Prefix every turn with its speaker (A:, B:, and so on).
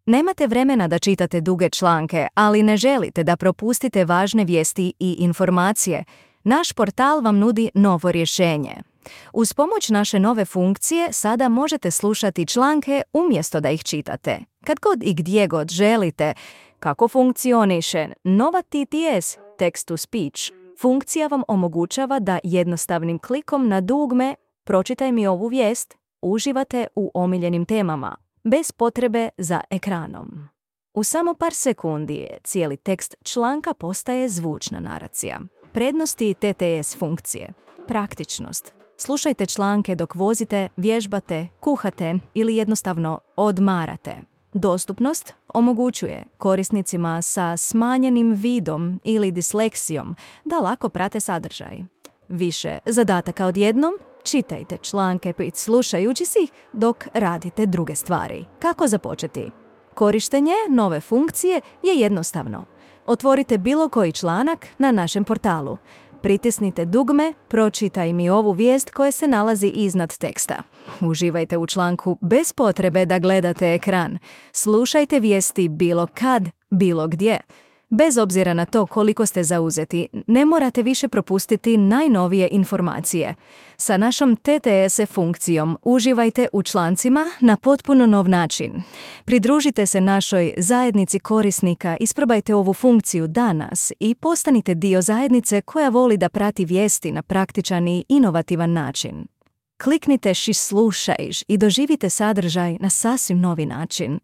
A: Nemate vremena da čitate duge članke, ali ne želite da propustite važne vijesti i informacije. Naš portal vam nudi novo rješenje. Uz pomoć naše nove funkcije sada možete slušati članke umjesto da ih čitate. Kad god i gdje god želite. Kako funkcioniše nova TTS, Text to Speech? Funkcija vam omogućava da jednostavnim klikom na dugme "Pročitaj mi ovu vijest" uživate u omiljenim temama, bez potrebe za ekranom. U samo par sekundi cijeli tekst članka postaje zvučna naracija. Prednosti TTS funkcije. Praktičnost. Slušajte članke dok vozite, vježbate, kuhate ili jednostavno odmarate. Dostupnost omogućuje korisnicima sa smanjenim vidom ili disleksijom da lako prate sadržaj. Više zadataka odjednom, čitajte članke slušajući si ih dok radite druge stvari. Kako započeti? Korištenje nove funkcije je jednostavno. Otvorite bilo koji članak na našem portalu. Pritisnite dugme "Pročitaj mi ovu vijest" koje se nalazi iznad teksta. Uživajte u članku bez potrebe da gledate ekran. Slušajte vijesti bilo kad, bilo gdje. Bez obzira na to koliko ste zauzeti, ne morate više propustiti najnovije informacije. Sa našom TTS funkcijom uživajte u člancima na potpuno nov način. Pridružite se našoj zajednici korisnika, isprobajte ovu funkciju danas i postanite dio zajednice koja voli da prati vijesti na praktičan i inovativan način. Kliknite "Slušajš" i doživite sadržaj na sasvim novi način.